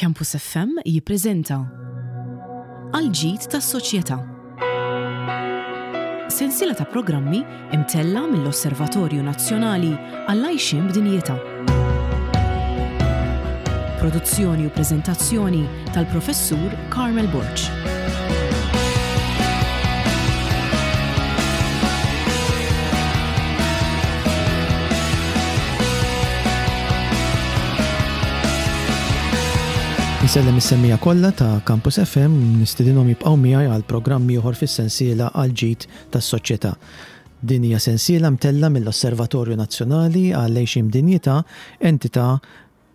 Campus FM jippreżenta Għall-ġid tas-soċjetà. Sensiela ta' programmi imtella' mill-Osservatorju Nazzjonali għall-Għajxien b'Dinjità. Produzzjoni u preżentazzjoni tal-Professur Carmel Borg. Insellem is-semmiegħa kollha ta' Campus FM u nistedinhom jibqgħu miegħi għal programm ieħor fis-sensiela Għall-Ġid tas-Soċjetà. Din hija sensiela mtellgħa mill-Osservatorju Nazzjonali għall-Għixien b'Dinjità, entità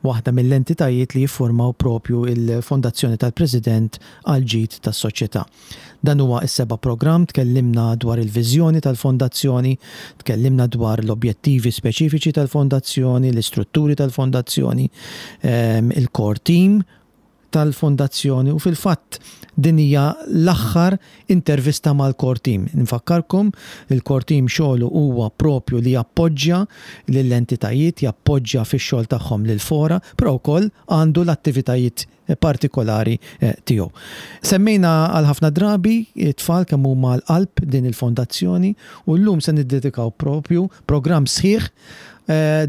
waħda mill-entitajiet li jiffurmaw propju l-Fondazzjoni tal-President għall-Ġid tas-Soċjetà. Dan huwa s-seba' programm, tkellimna dwar il-viżjoni tal-Fondazzjoni, tkellimna dwar l-objettivi speċifiċi tal-Fondazzjoni, l-istrutturi tal-Fondazzjoni, il-core team tal-Fondazzjoni u fil-fatt din hija l-aħħar intervista mal-core team. Nfakkarkom il-core team xogħlu huwa propju li jappoġġja lill-entitajiet, jappoġġja fix-xogħol tagħhom lill-fora, però wkoll għandu l-attivitajiet partikolari tiegħu. Semmejna għal ħafna drabi t-tfal kemm huma l-qalb din il-fondazzjoni u llum se niddedikaw propju programm sħiħ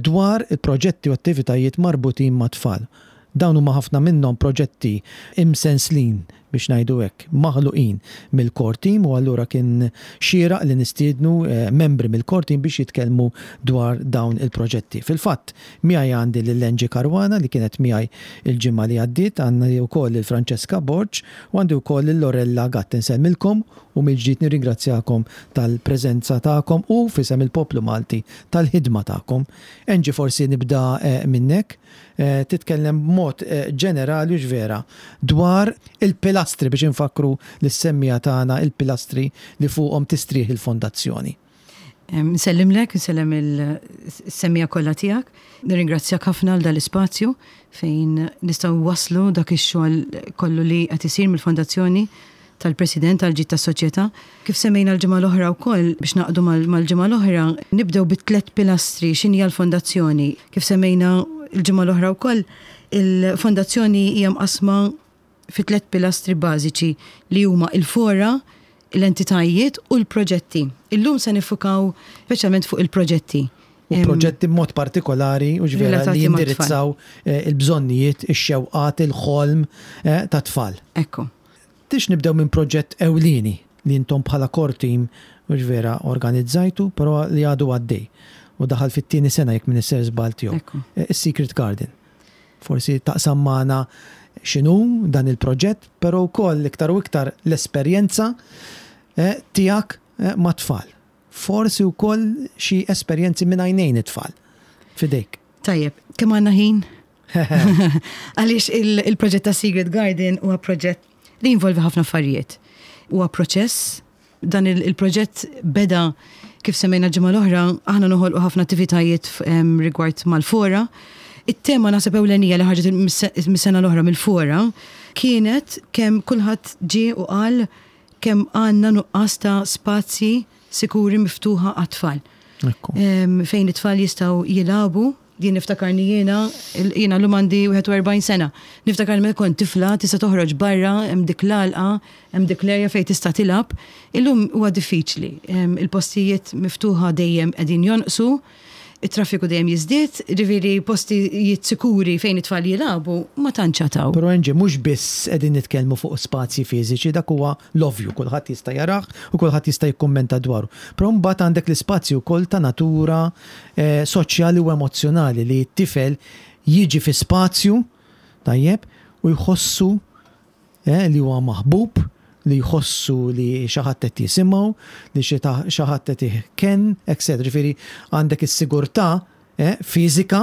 dwar il-proġetti u attivitajiet marbutin mat-tfal. Dawn huma ħafna minnhom proġetti imsenslin, biex ngħidu hekk, maħluqin mill-core team u allura kien xieraq li nistiednu membri mill-core team biex jitkellmu dwar dawn il-proġetti. Fil-fatt, miegħi għandi lil Angie Caruana li kienet miegħi l-ġimgħa li għaddiet, għandi wkoll lil Francesca Borg u għandi wkoll lil Lorella Gatt. Insellmilkom u mill-ġdid nirringrazzjakom tal-preżenza tagħkom u f'isem il-poplu Malti tal-ħidma tagħkom. Angie forsi nibda minnek. Titkellem b'mod ġenerali hux vera dwar il-pilastri biex infakkru lis-semmiegħa tagħna il-pilastri li fuqhom tistrieħ il-fondazzjoni. Nsellimlek, nsellem il-semmiegħa kollha tiegħek. Nirringrazzjak ħafna għal dal-ispazju fejn nistgħu nwasslu dak ix-xogħol kollu li qed isir mill-fondazzjoni tal-President għall-ġid tas-soċjetà. Kif semmejna l-ġimgħa l-oħra wkoll, biex naqdu mal-ġimgħa l-oħra, nibdew bit-tlet pilastri x'inhi l-fondazzjoni. Kif semmejna l-ġimgħa l-oħra wkoll, il-fondazzjoni hija mqassma fi tlet pilastri bażiċi li huma il-fora, l-entitajiet u l-proġetti. Illum se niffukaw speċjalment fuq il-proġetti. U proġetti b'mod partikolari u ġvera li jindirizzaw il-bżonnijiet, ix-xewqat, il-ħolm tat-tfal. Ekku. Tix nibdew minn proġett ewlieni li intom bħala core team mhux vera organizzajtu però li għadu għaddej u daħal fit-tieni sena jekk m'iniex ser żball tiegħu. Is-Secret Garden. Forsi taqsam magħna x'inhu dan il-proġett però wkoll iktar u iktar l-esperjenza tiegħek mat-tfal. Forsi wkoll xi esperjenzi minn għajnejn it-tfal. F'idejk. Tajjeb, kemm għandna ħin? Għaliex il-proġett ta' Secret Garden huwa proġett li jinvolvi ħafna affarijiet. Huwa proċess, dan il-proġett beda kif semmejna ġimgħa l-oħra, aħna noħolqu ħafna attivitajiet rigward mal-fora. It-tema naħseb ewlenija li ħarġet mis-sena l-oħra mill-fora kienet kemm kulħadd ġie u qal kemm għandna nuqqas ta' spazji sikuri miftuħa għat-tfal. Fejn it-tfal jistgħu jilagħbu Din niftakarni jiena, jiena llum għandi 41 sena. Niftakarni meta kont tifla tista' toħroġ barra, hemm dik l-għalqa, hemm dik l-erja fejn tista' tilgħab. Illum huwa diffiċli. Il-postijiet miftuħa dejjem qegħdin jonqsu, it-traffiku dejjem jiżdied, ġifieri postijiet sikuri fejn it-tfal jilagħbu ma tantx għad hawn. Però Angie, mhux biss qegħdin nitkellmu fuq spazji fiżiċi, dak huwa l-ovvju, kulħadd jista' jarah u kulħadd jista' jikkummenta dwaru. Però mbagħad għandek l-ispazji wkoll ta' natura soċjali u emozzjonali li t-tifel jiġi fi spazju, tajjeb, u jħossu li huwa maħbub, li jħossu li xi ħadd qed jisimgħu, li xi ħadd qed iħkenn, etc. Ġifieri għandek is-sigurtà fiżika,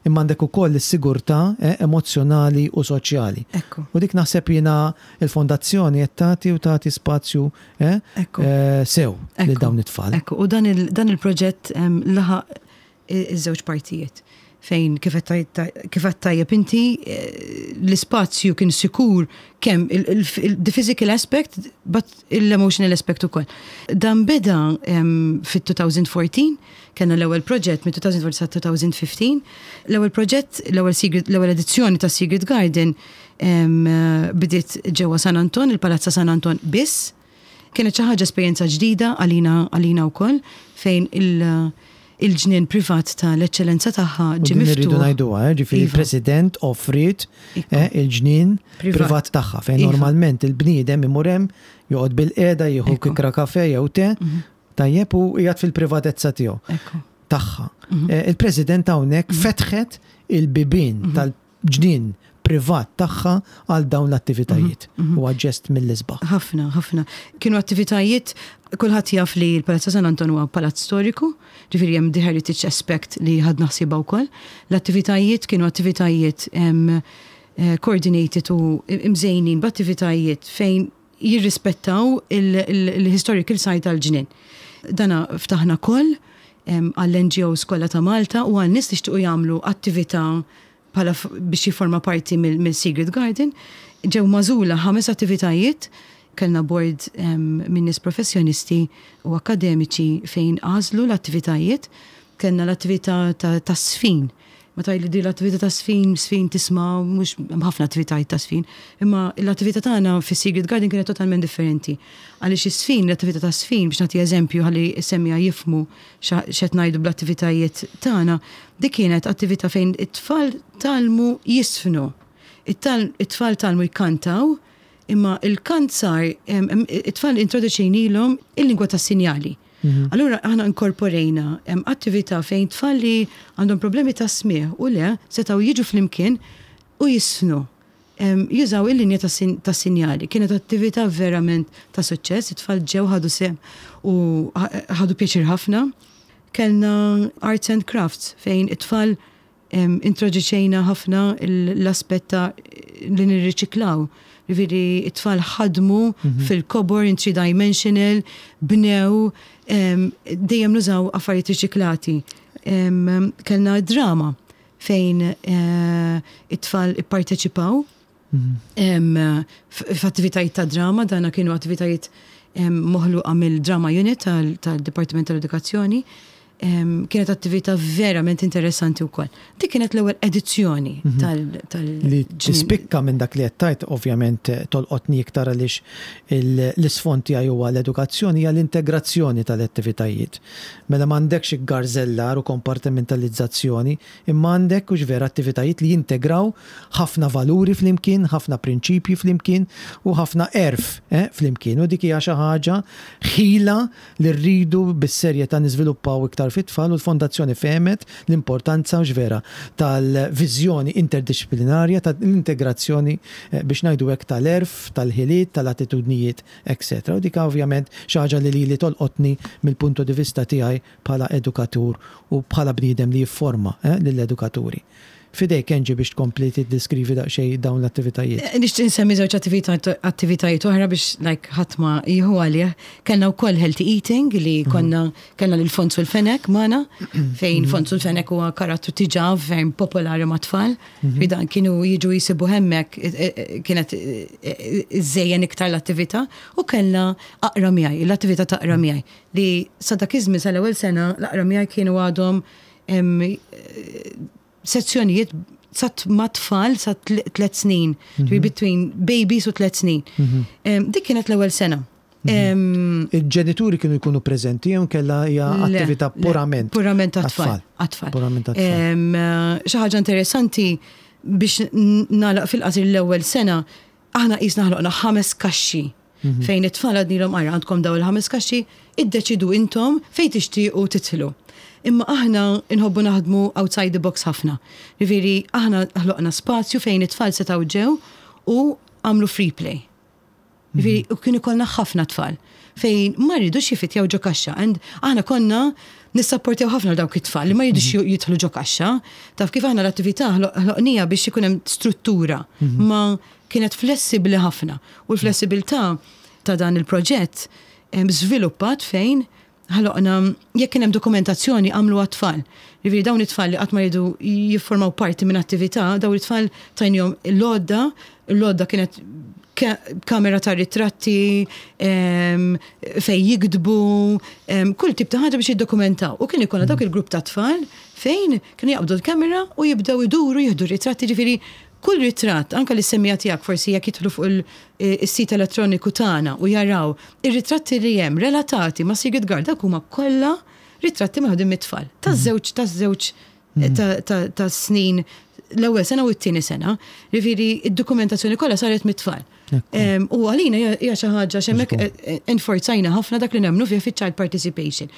imma għandek ukoll is-sigurtà emozzjonali u soċjali. Ekku. U dik naħseb jiena l-fondazzjoni qed tagħti u tagħti spazju sew lil dawn it-tfal. Ekku, u dan il-proġett laħaq iż-żewġ partijiet. fejn kif għedt tajjeb inti l-ispazju kien sikur kemm the physical aspect but l-emotional aspect ukoll. Dan beda fit-2014, kellna l-ewwel proġett mit-2014 sa 2015, l-ewwel proġett, l-ewwel secret, l-ewwel edizzjoni ta' Secret Garden bdiet ġewwa San Anton, il-Palazz ta' San Anton biss. Kienet xi ħaġa esperjenza ġdida għalina għalina wkoll fejn il-ġnien privat ta' l-Eċċellenza tagħha ġie miftuħ. Irridu ngħiduha, eh, ġifieri iva. il-President offriet eh, il-ġnien privat tagħha fejn iva. normalment il-bniedem imur hemm joqgħod bil-qiegħda jieħu kikra kafe jew te, mhm. tajjeb u qiegħed fil-privatezza tiegħu. Tagħha. Mhm. Eh, il-President hawnhekk mhm. fetħet il-bibien tal ġnien privat tagħha għal dawn l-attivitajiet. Mhm, mhm. Huwa ġest mill-isbaħ. Ħafna, ħafna. Kienu attivitajiet, kulħadd jaf li l-Palazzo San Anton huwa palazz storiku, ġifieri hemm the heritage aspect li ħadna ħsiebha wkoll. L-attivitajiet kienu attivitajiet eh, coordinated u imżejnin b'attivitajiet fejn jirrispettaw il-historical site tal-ġnien. Dana ftaħna koll għall-NGOs kollha ta' Malta u għal nies li xtiequ jagħmlu attività bħala biex jifforma parti mill-Secret Garden. Ġew magħżula ħames attivitajiet, kellna board minn nies professjonisti u akkademiċi fejn għażlu l-attivitajiet. Kellna l-attività ta' sfin. Ma tgħidli di l-attività ta' sfin, sfin tisma' mhux hemm ħafna attivitajiet ta' sfin, imma l-attività tagħna fis-Secret Garden kienet totalment differenti. Għaliex is-sfin, l-attività ta' sfin, biex nagħti eżempju ħalli s-semmiegħa jifhmu x'qed ngħidu bl-attivitajiet tagħna, dik kienet attività fejn it-tfal tgħallmu jiżfnu. It-tfal tgħallmu jkantaw, imma l-kant sar, it-tfal introduċejnilhom il-lingwa tas-sinjali. Mhm. Allura aħna inkorporejna attività fejn tfal li għandhom problemi ta' smigħ u le setgħu jiġu flimkien u jiżfnu. Jużaw il-linja ta' sinjali. Kienet attività verament ta' suċċess, it-tfal ġew ħadu sehem u ħadu pjaċir ħafna. Kellna arts and crafts fejn it-tfal introduċejna ħafna l-aspett ta' li nirriċiklaw. Ġifieri it-tfal ħadmu mhm. fil-kobor in three dimensional, bnew, dejjem nużaw affarijiet riċiklati. Kellna drama fejn eh, it-tfal ipparteċipaw mhm. f'attivitajiet ta' drama, dana kienu attivitajiet moħluqa mill-Drama Unit tal-Dipartiment tal-Edukazzjoni. Kienet attività verament interessanti wkoll. Dik kienet l-ewwel edizzjoni mhm. tal Li tispikka minn dak li qed tgħid ovvjament eh, tolqotni iktar għaliex l-isfond tiegħi huwa l-edukazzjoni hija l-integrazzjoni tal-attivitajiet. Mela m'għandekx iggarżellar u kompartimentalizzazzjoni, imma għandek, hux vera, attivitajiet li jintegraw ħafna valuri flimkien, ħafna prinċipji flimkien u ħafna għerf flimkien. U dik hija xi ħaġa, ħila li rridu bis-serjetà niżviluppaw iktar fit-tfal u l-Fondazzjoni fehmet l-importanza, hux vera, tal-viżjoni interdixxiplinarja, tal-integrazzjoni, biex ngħidu hekk, tal-għerf, tal-ħiliet, tal-attitudnijiet etc. U dik ovvjament xi ħaġa li lili tolqotni mill-punto di vista tiegħi bħala edukatur u bħala bniedem li jifforma lill-edukaturi. F'idejk Angie biex tkompli tiddiskrivi daqsxejn dawn l-attivitajiet. Nixtieq insemmi żewġ attivitajiet oħra biex like ħadd ma jieħu għalih. Kellna wkoll healthy eating li mhm. konna kellna lil Fonzu l-Fenek magħna fejn mhm. Fonzu l-Fenek huwa karattru tiġà ferm popolari mat-tfal. Mhm. Dan kienu jiġu jisibu hemmhekk e, e, e, kienet iżejjen iktar l-attività u kellna aqra miegħi, l-attività ta' aqra miegħi li sa dak iż-żmien sal-ewwel sena l-aqra miegħi kienu għadhom sezzjonijiet sa ma' tfal sa tlet snin, mhm. between babies u tlet snin. Mhm. Dik kienet l-ewwel sena. Mhm. Il-ġenituri kienu jkunu preżenti jew kella hija attività purament. Purament għat-tfal. Purament għat-tfal. Xi ħaġa interessanti biex nagħlaq fil-qasir l-ewwel sena, aħna qisna ħloqna ħames kaxxi mhm. fejn it-tfal għadnilhom ara għandkom daw il-ħames kaxxi, iddeċidu intom fejn tixtiequ titħlu. Imma aħna nħobbu naħdmu outside the box ħafna. Ġifieri aħna ħloqna spazju fejn it-tfal setgħu ġew u għamlu free play. Ġifieri, u kien ikollna ħafna tfal fejn ma rridux jifitjaw ġo kaxxa. And aħna konna nissapportjaw ħafna dawk it-tfal li ma jridux mhm. jidħlu ġo kaxxa. Taf kif aħna l-attività ħloqnija biex ikun hemm struttura mhm. ma kienet flessibbli ħafna. U l-flessibilità ta' dan il-proġett żviluppat fejn. Ħloqna, jekk kien hemm dokumentazzjoni għamluha t-tfal. Jiġifieri dawn it-tfal li qatt ma riedu jiffurmaw parti minn attività, dawn it-tfal tajnihom l-għodda, l-għodda kienet kamera ta' ritratti, fejn jiktbu, kull tip ta' ħaġa biex jiddokumentaw. U kien ikollna dawk il-grupp ta' tfal fejn kienu jaqbdu l-kamera u jibdew iduru jieħdu ritratti, ġifieri kull ritratt, anke lis-semmiegħa tiegħek forsi jekk jidħlu fuq is-sit elettroniku tagħna u jaraw ir-ritratti li hemm relatati ma' Secret Garden, dawk huma kollha ritratti meħudin mit-tfal taż-żewġ taż-żewġ ta' snin l-ewwel sena u t-tieni sena. Jiġifieri d-dokumentazzjoni kollha saret mit-tfal. U għalina hija xi ħaġa x'hemmhekk eh, eh, enforzajna ħafna dak li nemmnu fih fiċ-child participation.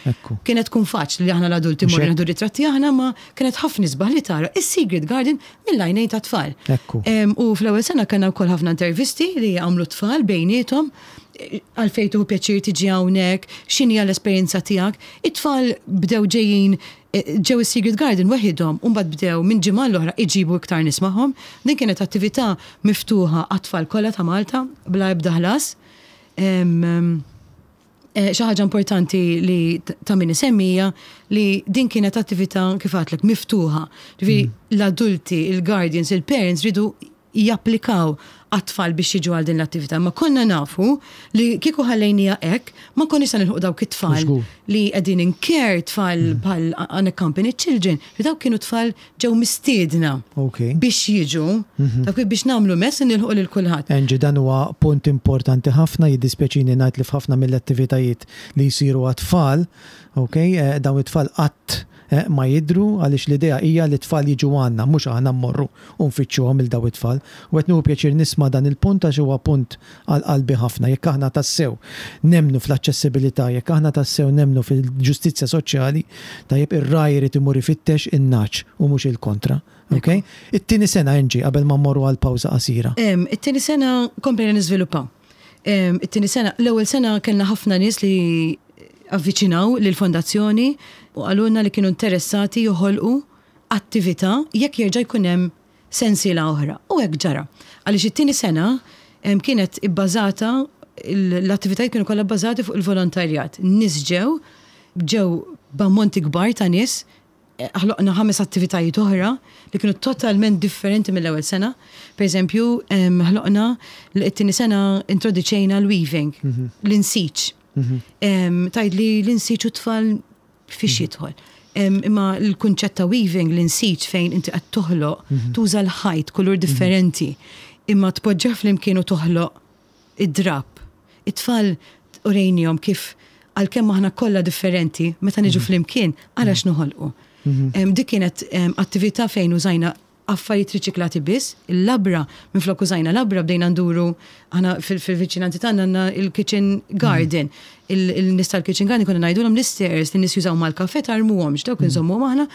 Kienet tkun faċli li aħna l-adulti morru nieħdu ritratti aħna ma kienet ħafna isbaħ li tara is-Secret Garden mill-għajnejn ta' tfal. U fl-ewwel sena kellna wkoll ħafna intervisti li għamlu tfal bejniethom għalfejn tuħu pjaċir tiġi hawnhekk, x'inhi l-esperjenza tiegħek. It-tfal bdew ġejjin Ġew is-Secret Garden weħidhom u mbagħad bdew minn ġimgħa għall-oħra iġibu iktar nies magħhom. Din kienet attività miftuħa għat-tfal kollha ta' Malta bla ebda ħlas. Xi ħaġa importanti li ta' min isemmi hija li din kienet attività kif għedtlek miftuħa. Ġifieri l-adulti, il-guardians, il-parents riedu japplikaw għat-tfal biex jiġu għal din l-attività. Ma konna nafu li kieku ħallejnija hekk, ma konniex se nilħuq dawk it-tfal li qegħdin in care, tfal mm. bħal unaccompanied children, li dawk kienu tfal ġew mistiedna biex jiġu, mhm. dawk biex nagħmlu mess nilħuq lil kulħadd. Angie, dan huwa punt importanti ħafna, jiddispjaċini ngħid li f'ħafna mill-attivitajiet li jsiru għat-tfal, ok, eh, dawn it-tfal qatt ma jidhru għaliex l-idea hija li t-tfal jiġu għandna mhux aħna mmorru u nfittxuhom lil dawn it-tfal. U qed nieħu pjaċir nisma' dan il-punt għax huwa punt għal qalbi ħafna. Jekk aħna tassew nemmnu fl-aċċessibilità, jekk aħna tassew nemmnu fil-ġustizzja soċjali, tajjeb ir-ragħaj irid imur ifittex in-nagħaġ u mhux il-kontra. Ok? It-tieni sena, Angie, qabel ma mmorru għal pawża qasira. It-tieni sena komplejna niżviluppaw. It-tieni sena, l-ewwel sena kellna ħafna nies li avviċinaw lill-fondazzjoni u qalulna li kienu interessati joħolqu attività jekk jerġa' jkun hemm sensiela oħra. U hekk ġara. Għaliex it-tieni sena kienet ibbażata l-attivitajiet kienu kollha bbażati fuq il-volontarjat. Nies ġew, ġew b'ammonti kbar ta' nies ħloqna ħames attivitajiet oħra li kienu totalment differenti mill-ewwel sena. Per eżempju, ħloqna t-tieni sena introduċejna l-weaving, mhm. l-insiġ. Mhm. Tajd li l-insiġ u tfal fiex mhm. jidħol. Imma l-kunċett ta' weaving, l-insiġ fejn inti qed toħloq, tuża l-ħajt kulur differenti, imma tpoġġah flimkien u toħloq id-drapp. It-tfal urejnihom kif għalkemm aħna kollha differenti, meta niġu mhm. flimkien, ara mhm. x'noħolqu. Mhm. Dik kienet attività fejn użajna affarijiet riċiklati biss, il-labra, minflok użajna labra bdejna nduru aħna fil-viċinanti tagħna għandna il-kitchen garden. Il-nies tal-kitchen garden konna ngħidulhom l-istairs li nies jużaw mal-kafe tarmuhomx, dawk inżommuhom aħna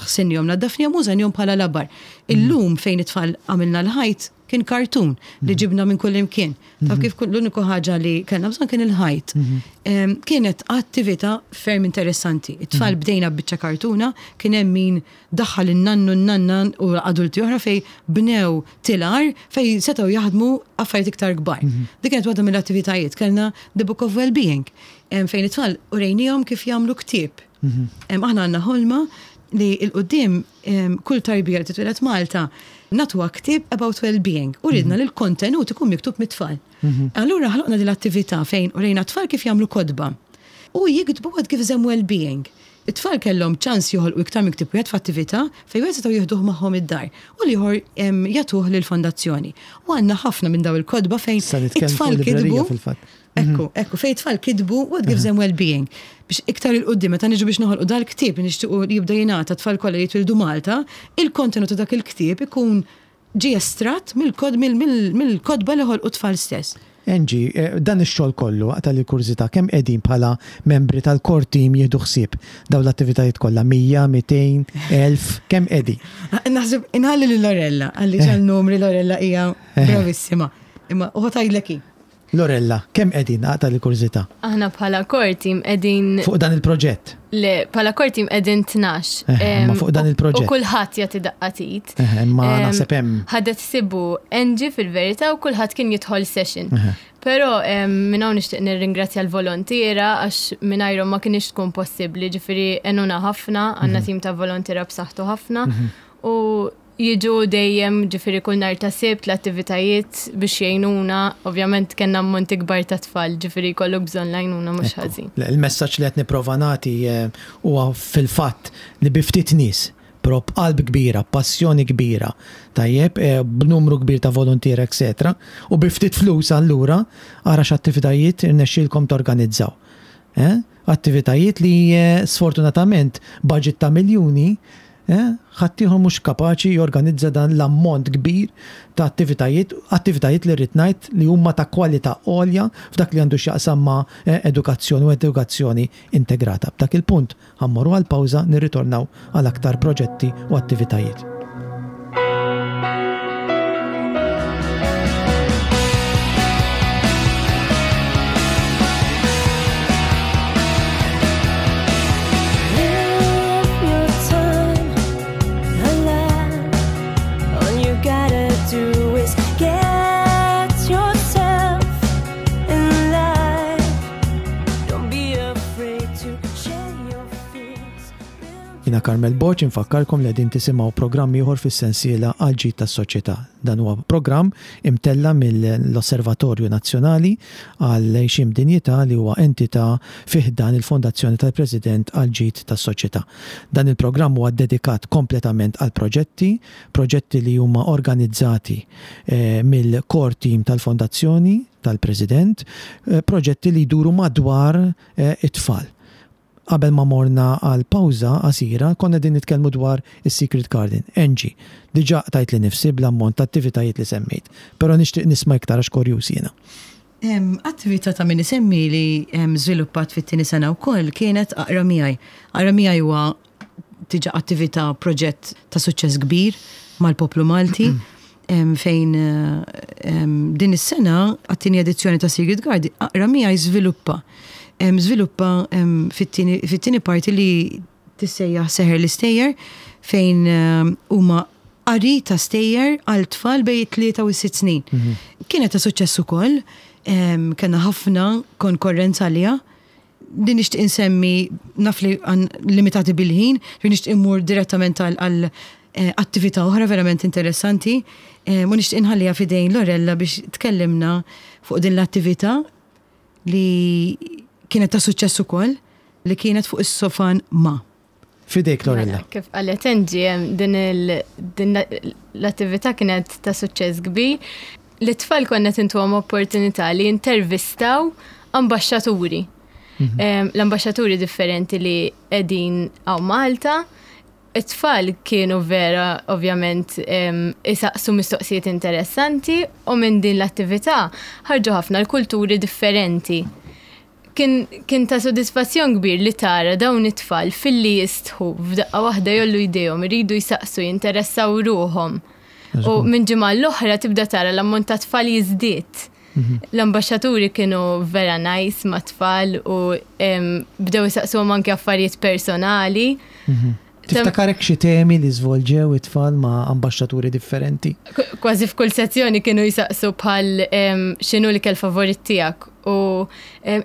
ħsinnihom, naddafnihom użajnihom bħala labar. Illum fejn it-tfal għamilna l-ħajt Kien kartun li ġibna minn kull imkien. Taf kif l-uniku ħaġa li kellna bżonn kien il-ħajt. Mhm. Kienet attività ferm interessanti. It-tfal mhm. bdejna biċċa kartuna, kien hemm min daħħal in-nannu n-nanna u adulti oħra fej bnew tilar fej setgħu jaħdmu affarijiet iktar kbar. Mhm. Dik kienet waħda mill-attivitajiet. Kellna The Book of Wellbeing fejn it-tfal urejnihom kif jagħmlu ktieb. Aħna għandna ħolma li il-qudiem kull tarbija li titwieled Malta nagħtuha ktieb about well-being u ridna li l-kontenut ikun miktub mit-tfal. Mhm. Allura ħloqna din l-attività fejn urejna tfal kif jagħmlu kotba u jiktbu what gives them well-being. It-tfal kellhom ċans joħolqu iktar minn ktieb wieħed f'attività fejn wieħed setgħu jieħduh magħhom id-dar u l-ieħor jagħtuh lill-fondazzjoni. U għandna ħafna minn daw il-kotba fejn it-tfal kitbu. Ekku, mhm. ekku, fejn tfal kitbu what gives them well-being. Biex iktar il-qoddim, meta niġu biex noħolqu dal-ktieb li nixtiequ li jibda jingħata tfal kollha li jitwildu Malta, il-kontenut ta' dak il-ktieb ikun ġie estratt mill-kotba li ħolqu tfal stess. Angie, eh, dan ix-xogħol kollu waqt li kurżità kemm qegħdin bħala membri tal-core team jieħdu ħsieb dawn l-attivitajiet kollha 100, 200, 1000, kemm qegħdin? Naħseb inħalli lil Lorella, għalli eh. numri Lorella hija eh. bravissima. Imma u ħatajlek hi. Lorella, kemm qegħdin, aqta' l-kurżità? Aħna bħala core team qegħdin. Fuq dan il-proġett? Le, bħala core team qegħdin 12. Eh, imma fuq dan il-proġett. U kulħadd jagħti daqqa t'id. Eh, imma naħseb hemm. Ħadet sibu Angie fil-verità u kulħadd kien jidħol session. Però minn hawn nixtieq nirringrazzja l-volontiera għax mingħajrhom ma kinitx tkun possibbli, ġifieri għenuna ħafna, għandna tim ta' volontiera b'saħħtu ħafna u jiġu dejjem ġifieri kull nhar ta' Sibt l-attivitajiet biex jgħinuna, ovvjament kellna ammonti kbar ta' tfal, ġifieri jkollok bżonn l-għajnuna mhux ħażin. Il-messaġġ li qed nipprova nagħti huwa fil-fatt li bi ftit nies però b'qalb kbira, b'passjoni kbira, tajjeb, b'numru kbir ta' voluntiera etc. U bi ftit flus allura ara x'attivitajiet irnexxielkom torganizzaw. Eh? Attivitajiet li sfortunatament budget ta' miljuni eh, ħaddieħor mhux kapaċi jorganizza dan l-ammont kbir ta' attivitajiet, attivitajiet li rrid ngħid li huma ta' kwalità għolja f'dak li għandu x'jaqsam ma' edukazzjoni u edukazzjoni integrata. B'dak il-punt Ħa mmorru għal pawża nirritornaw għal aktar proġetti u attivitajiet. Jiena Carmel Borg infakkarkom li qegħdin tisimgħu programm ieħor fis-sensiela Għall-Ġid tas-Soċjetà. Dan huwa programm imtella' mill-Osservatorju Nazzjonali għall-Għixien b'Dinjità li huwa entità fi ħdan il-Fondazzjoni tal-President għall-Ġid tas-Soċjetà. Dan il-programm huwa ddedikat kompletament għal proġetti, proġetti li huma organizzati mill-core team tal-Fondazzjoni tal-President, proġetti li jduru madwar it-tfal. Qabel ma morna għal pawża qasira, konna qegħdin nitkellmu dwar is-Secret Garden. Angie, diġà qtajtli nifsi bl-ammont ta' attivitajiet li semmejt, però nixtieq nisma' iktar għax korjuż jiena. Attività ta' min isemmi li żviluppat fit-tieni sena wkoll kienet Aqra Miegħi. Aqra Miegħi huwa diġà attività proġett ta' suċċess kbir mal-poplu Malti fejn din is-sena għat-tieni edizzjoni ta' Secret Garden Aqra Miegħi żviluppa żviluppa fit-tieni parti li tissejjaħ Seħer l-Istejjer fejn huma qari ta' stejjer għal tfal bejn it-tlieta u s-sitt snin. Kienet ta' suċċess ukoll, kellna ħafna konkorrenza għaliha. Li nixtieq insemmi, naf li limitati bil-ħin, li nixtieq immur direttament għal attività oħra verament interessanti, u nixtieq inħalliha f'idejn Lorella biex tkellimna fuq din l-attività li kienet ta' suċċess ukoll, li kienet fuq is-sofan ma'. F'idejk Lorella. Mela, kif qalet Angie, din l-attività kienet ta' suċċess kbir. L-tfal konna tintuhom opportunità li jintervistaw ambaxxaturi. L-ambaxxaturi differenti li qegħdin hawn Malta. It-tfal kienu vera ovvjament isaqsu mistoqsijiet interessanti u minn din l-attività ħarġu ħafna l-kulturi differenti. Kien, kien ta' sodisfazzjon kbir li tara dawn it-tfal filli jistħu f'daqqa waħda jgħollu jdejhom, iridu jsaqsu, jinteressaw ruħhom. U minn ġimgħa l-oħra tibda tara l-ammont ta' tfal jiżdied. L-ambaxxaturi kienu vera nice mat-tfal u bdew isaqsuhom anke affarijiet personali. Tiftakarek xi temi li żvolġew it-tfal ma' ambaxxaturi differenti? Kważi f'kull sezzjoni kienu jsaqsu bħal x'inhu l-ikel favorit tiegħek u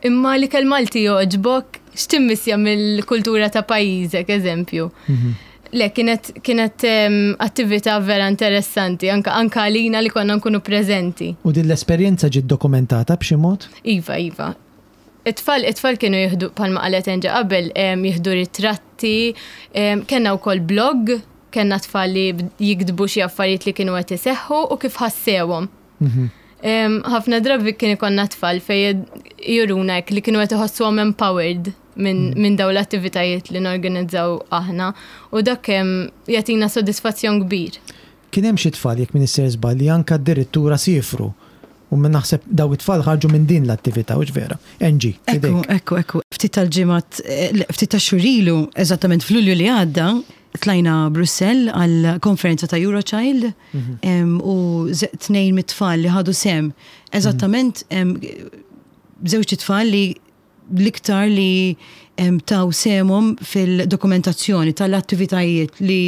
imma l-ikel Malti jogħġbok, x'timmissja mill-kultura ta' pajjiżek, eżempju. Le, kienet, kienet attività vera interessanti, anka, anka għalina li konna nkunu preżenti. U din l-esperjenza ġiet dokumentata b'xi mod? Iva, iva. It-tfal, it-tfal kienu jieħdu, bħalma qalet Angie qabel, jieħdu ritratti, kellna wkoll blog, kellna tfal li jiktbu xi affarijiet li kienu qed iseħħu u kif ħassewhom. Ħafna drabi kien ikollna tfal fejn juruna hekk li kienu qed iħossuhom empowered minn dawn l-attivitajiet li norganizzaw aħna u dak jagħtina sodisfazzjon kbir. Kien hemm xi tfal, jekk m'iniex sejjer żball, li anke addirittura siefru. U min naħseb daw it-tfal ħarġu minn din l-attività, hux vera? Angie, f'idejk. Ekku, ekku, ekku. Ftit tal-ġimgħat, le, ftit tax-xhur ilu, eżattament f'Lulju li għadda, tlajna Brussell għal konferenza ta' Eurochild u tnejn mit-tfal li ħadu sehem, eżattament żewġt itfal li l-iktar li taw sehemhom fil-dokumentazzjoni tal-attivitajiet li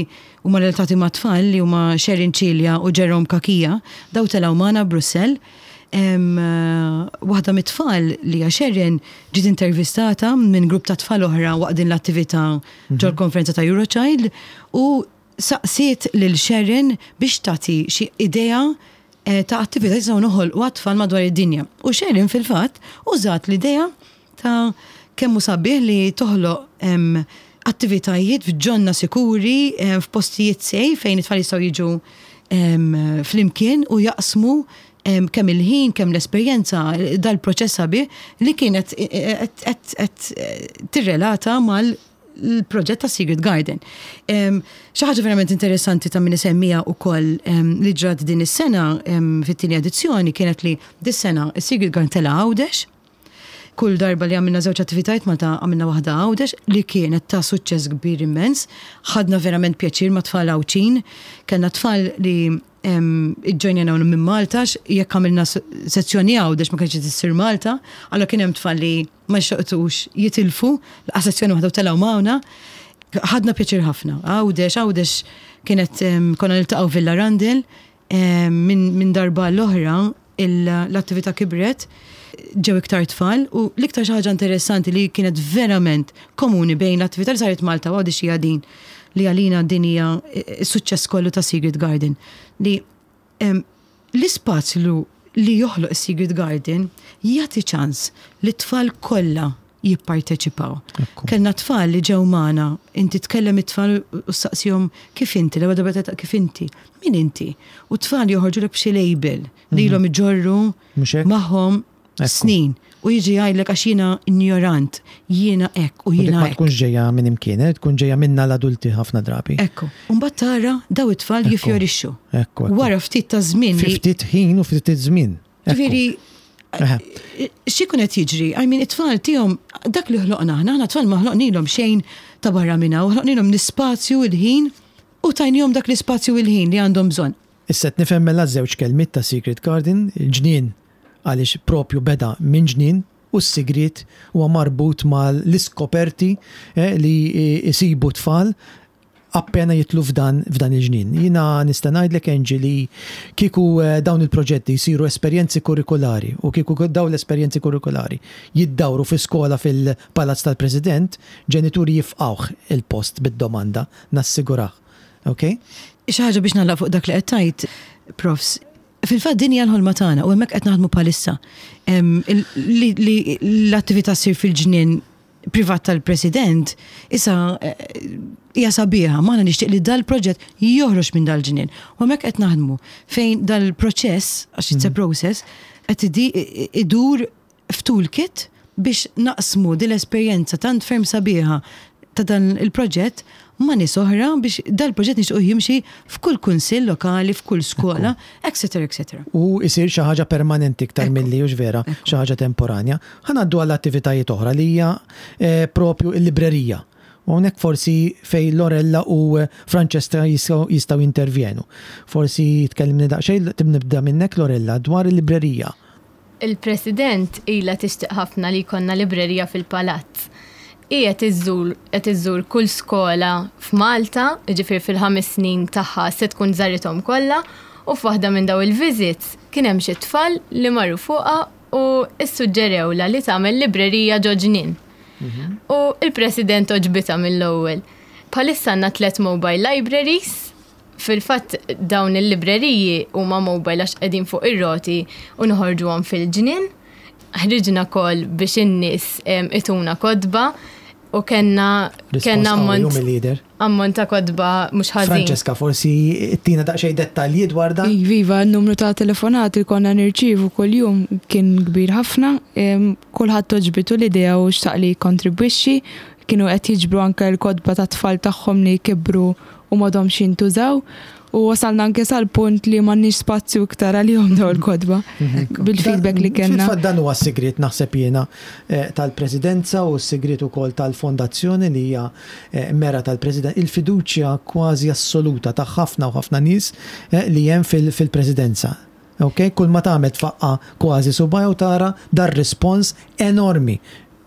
huma relatati mat-tfal li huma Sherin Cilia u Jerome Cachia, daw telgħu magħna Brussell. Waħda mit-tfal li hija Sharon ġiet intervistata minn grupp ta' tfal oħra waqt din l-attività ġol-konferenza ta' Eurochild u saqsiet lil Sharon biex tagħti xi idea ta' attività li jistgħu noħolqu għat-tfal madwar id-dinja. U Sharon fil-fatt użat l-idea ta' kemm hu sabiħ li toħloq attivitajiet f'ġonna sikuri, f'postijiet safe fejn it-tfal jistgħu jiġu flimkien u jaqsmu kemm il-ħin, kemm l-esperjenza, dal-proċess sabiħ li kienet qed tirrelata mal l-proġett ta' Secret Garden. Xi ħaġa verament interessanti ta' min isemmija wkoll li ġrat din is-sena fit-tieni edizzjoni kienet li dis-sena is-Secret Garden tela' Għawdex. Kull darba li għamilna żewġ attivitajiet Malta għamilna waħda Għawdex li kienet ta' suċċess kbir immens. Ħadna verament pjaċir ma' tfal Għawdxin. Kellna tfal li iġġojnjana minn Malta jekk għamilna sezzjoni Għawdex ma kienx issir Malta, allura kien hemm tfal li ma xtaqux jitilfu, laqas sezzjoni waħda u telgħu magħna. Ħadna pjaċir ħafna. Għawdex, Għawdex kienet konna niltaqgħu Villa Rundle minn darba l-oħra l-attività kibret, ġew iktar tfal u l-iktar xi ħaġa interessanti li kienet verament komuni bejn l-attività li saret Malta u Għawdex hija din li għalina din hija s-suċċess kollu ta' Secret Garden li l-ispazju li joħloq is-Secret Garden jagħti ċans li t-tfal kollha jipparteċipaw. Kellna tfal li ġew magħna, inti tkellem it-tfal u ssaqsihom kif inti, l-ewwel darba tgħid kif inti, min inti? U t-tfal joħorġulek b'xi label li ilhom iġorru magħhom snin u jiġi jgħidlek għax jiena injorant, jiena hekk u jiena hekk. Ma tkunx ġejja minn imkien, eh? tkun ġejja minna l-adulti ħafna drabi. Ekku. U mbagħad tara daw it-tfal jifjorixxu. Wara ftit ta' żmien. Fi ftit ħin u ftit żmien. Ġifieri, x'ikun qed jiġri? I mean, it-tfal tiegħhom dak li ħloqna aħna, aħna tfal ma ħloqnilhom xejn ta' barra minn hawn, ħloqnilhom l-ispazju, il-ħin u tajnihom dak l-ispazju u l-ħin li għandhom bżonn. Issa qed nifhem mela ż-żewġ kelmiet ta' Secret Garden, il-ġnien għaliex propju beda minn ġnien u s-sigriet huwa marbut mal-iskoperti li jsibu t-tfal appena jidħlu f'dan f'dan il-ġnien. Jiena nista' ngħidlek Angie li kieku dawn il-proġetti jsiru esperjenzi kurrikulari u kieku dawn l-esperjenzi kurrikulari jiddawru fi skola fil-Palazz tal-President, ġenituri jifqgħuh il-post bid-domanda, nassigurah. Ok? Xi ħaġa biex nagħlaq fuq dak li qed tgħid, Profs. Fil-fatt din hija l-ħolma tagħna u hemmhekk qed naħdmu bħalissa. Li l-attività ssir fil-ġnien privat tal-President issa hija sabiħa, ma aħna nixtieq li dal-proġett joħroġ minn dal-ġnien. U hemmhekk qed naħdmu fejn dal-proċess, għax it's a process, qed idur f'toolkit biex naqsmu din l-esperjenza tant ferm sabiħa ta' dan il-proġett ma' nies oħra biex dal-proġett nixtiequ jimxi f'kull kunsill lokali, f'kull skola, etc. Etc. U jsir xi ħaġa permanenti iktar milli, hux vera, xi ħaġa temporanja. Ħa ngħaddu għal attivitajiet oħra li hija propju l-librerija. U hawnhekk forsi fejn Lorella u Francesca jistgħu jintervjenu. Forsi tkellimni daqsxejn, nibda minnek Lorella, dwar il-librerija. Il-President ilha tixtieq ħafna li jkollna librerija fil-Palazz. Hi qed iżżur qed iżżur kull skola f'Malta, jiġifieri fil-ħames snin tagħha se tkun żarithom kollha, u f'waħda minn dawn il-visits kien hemm xi tfal li marru fuqha u ssuġġerewlha li tagħmel librerija ġo ġnien. U l-President għoġbitha mill-ewwel. Bħalissa għandna tlett mobile libraries Fil-fatt dawn il-libreriji huma mobile għax qegħdin fuq ir-roti u noħorġuhom fil-ġnien. Ħriġna call biex in-nies ituna kotba u kellna kellna ammont ammont ta' kotba mhux ħażin. Francesca, forsi ttina daqsxejn dettalji dwar dan? Iva, iva, n-numru ta' telefonati li konna nirċievu kuljum kien kbir ħafna. Kulħadd għoġbitu l-idea u xtaq li jikkontribwixxi. Kienu qed jiġbru anke l-kotba tat-tfal tagħhom li kibru u m'għadhomx jintużaw u wasalna anke sal-punt li m'għandniex spazju iktar għalihom dawn il-kotba bil-feedback li kellna. Fil-fatt dan huwa s-sigriet naħseb jiena tal-Presidenza u s-sigriet ukoll tal-Fondazzjoni li hija mera tal-President, il-fiduċja kważi assoluta ta' ħafna u ħafna nies li hemm fil-Presidenza. Ok? Kull ma tagħmel tfaqqa' kważi subgħajha u tara dar-rispons enormi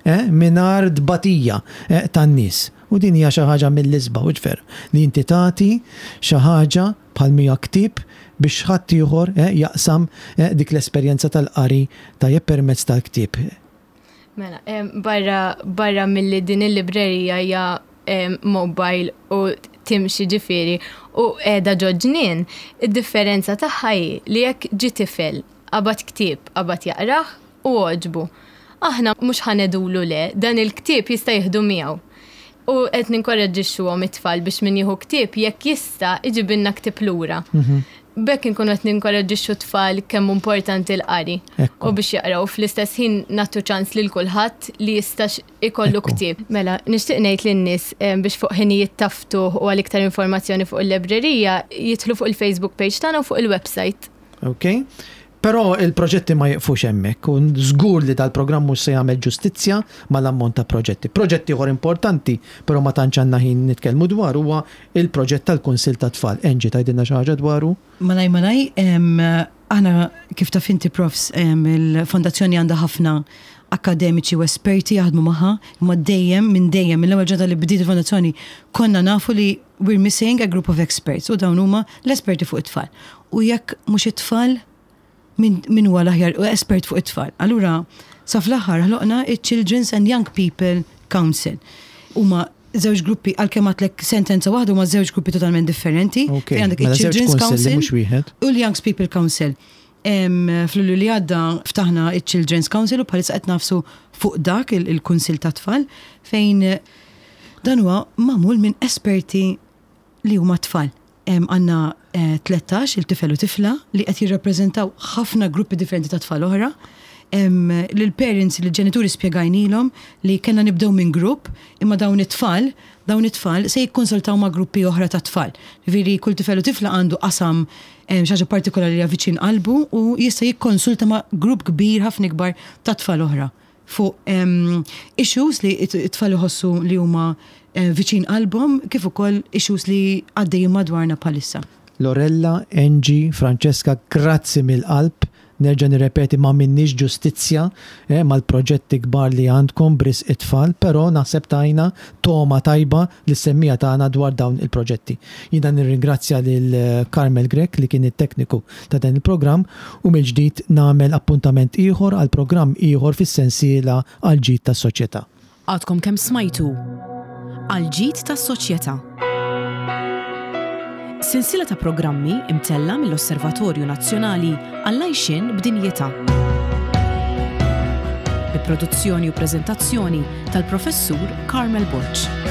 eh, mingħajr tbatija eh, tan-nies. U din hija xi ħaġa mill-isbaħ, hux veru, li inti tagħti xi ħaġa bħal mija ktieb biex ħaddieħor eh, jaqsam eh, dik l-esperjenza tal-qari tajjeb permezz tal-ktieb. Mela, barra, barra milli din il-librerija hija mobile u timxi ġifieri u qiegħda ġo ġnien, id-differenza tagħha hi li jekk ġie tifel qabad ktieb, qabad jaqrah u għoġbu. Aħna mhux ħa ngħidulu le, dan il-ktieb jista' jieħdu miegħu. U qed ninkoraġġixxuhom it-tfal biex min jieħu ktieb jekk jista' iġibilna ktieb lura. B'hekk inkunu qed ninkoraġġixxu t-tfal kemm hu importanti l-qari u biex jaqraw u fl-istess ħin nagħtu ċans lil kulħadd li jista' ikollu ktieb. Mela, nixtieq ngħid lin-nies biex fuq ħinijiet ta' ftuħ u għal iktar informazzjoni fuq il-lebrerija jidħlu fuq il-Facebook page tagħna u fuq il-website. Ok. Però il-proġetti ma jiqfux hemmhekk u żgur li dal-programm mhux se jagħmel ġustizzja mal-ammont ta' proġetti. Proġett ieħor importanti, però ma tantx għandna ħin nitkellmu dwaru huwa il-proġett tal-Kunsill tat-Tfal. Angie tgħidilna xi ħaġa dwaru? Malaj malaj, aħna kif taf inti Profs, il-Fondazzjoni għandha ħafna akkademiċi u esperti jaħdmu magħha, imma dejjem minn dejjem mill-ewwel ġurnata li bdiet il-Fondazzjoni konna nafu li we're missing a group of experts u dawn huma l-esperti fuq it-tfal. U jekk mhux it-tfal, min, min huwa l-aħjar espert fuq it-tfal. Allura, sa fl-aħħar ħloqna il-Children's and Young People Council. Huma żewġ gruppi, għalkemm għedtlek sentenza waħda huma żewġ gruppi totalment differenti. Ok, Fejn għandek mela żewġ il-Children's kunsilli Council mhux wieħed. u l-Young People Council. Fl-Lulju li għadda ftaħna il-Children's Council u bħalissa qed nagħfsu fuq dak il-Kunsill ta' Tfal fejn dan huwa magħmul minn esperti li huma tfal. Għandna 13 il-tifel u tifla li qed jirrappreżentaw ħafna gruppi differenti ta' tfal oħra. Lil-parents, lill-ġenituri spjegajnilhom li kellna nibdew minn grupp, imma dawn it-tfal, dawn it-tfal se jikkonsultaw ma' gruppi oħra ta' tfal. Ġifieri kull tifel u tifla għandu qasam xi ħaġa partikolari li hija viċin qalbu u jista' jikkonsulta ma' grupp kbir ħafna ikbar ta' tfal oħra fuq issues li t-tfal iħossu li huma viċin qalbhom kif ukoll issues li għaddejjin madwarna bħalissa. Lorella, Angie, Francesca, grazzi mill-qalb. Nerġa' nirrepeti ma minnix ġustizzja eh, mal-proġetti kbar li għandkom b'risq it-tfal, però naħseb tajna togħma tajba lis-semmiegħa tagħna dwar dawn il-proġetti. Jiena nirringrazzja lil Carmel Grech li kien it-tekniku ta' dan il-programm u mill-ġdid nagħmel appuntament ieħor għal programm ieħor fis-sensiela Għall-Ġid tas-Soċjetà. Għadkom kemm smajtu Għall-Ġid tas-Soċjetà. Sensiela ta' programmi imtella' mill-Osservatorju Nazzjonali għall-Għajxien b'Dinjità. Bi produzzjoni u preżentazzjoni tal-Professur Carmel Borg.